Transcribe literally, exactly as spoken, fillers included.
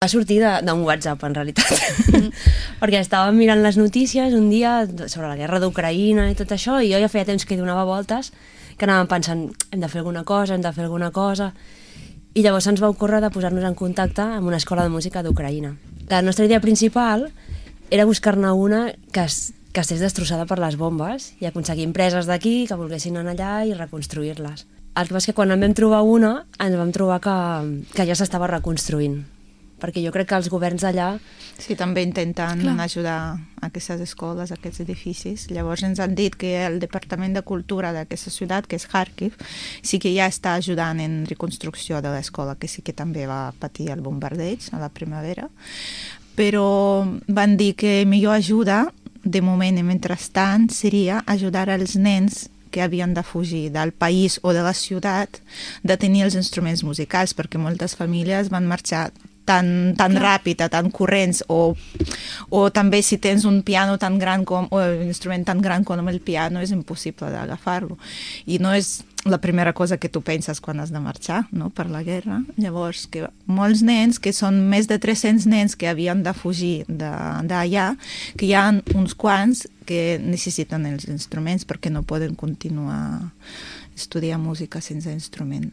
Va sortir d'un WhatsApp, en realitat, mm. perquè estàvem mirant les notícies un dia sobre la guerra d'Ucraïna i tot això, i jo ja feia temps que hi donava voltes, que anàvem pensant, hem de fer alguna cosa, hem de fer alguna cosa, i llavors ens va ocórrer de posar-nos en contacte amb una escola de música d'Ucraïna. La nostra idea principal era buscar-ne una que, es, que estigués destrossada per les bombes i aconseguir empreses d'aquí que volguessin anar allà i reconstruir-les. El que passa és que quan en vam trobar una, ens vam trobar que, que ja s'estava reconstruint, perquè jo crec que els governs d'allà... Sí, també intenten Clar. ajudar a aquestes escoles, a aquests edificis. Llavors ens han dit que el Departament de Cultura d'aquesta ciutat, que és Kharkiv, sí que ja està ajudant en reconstrucció de l'escola, que sí que també va patir el bombardeig a la primavera, però van dir que millor ajuda, de moment i mentrestant, seria ajudar els nens que havien de fugir del país o de la ciutat de tenir els instruments musicals, perquè moltes famílies van marxar tan, tan ràpid, tan corrents, o, o també si tens un piano tan gran com, o un instrument tan gran com el piano, és impossible d'agafar-lo. I no és la primera cosa que tu penses quan has de marxar, no?, per la guerra. Llavors, que molts nens, que són més de tres-cents nens que havien de fugir d'allà, que hi ha uns quants que necessiten els instruments perquè no poden continuar estudiar música sense instrument.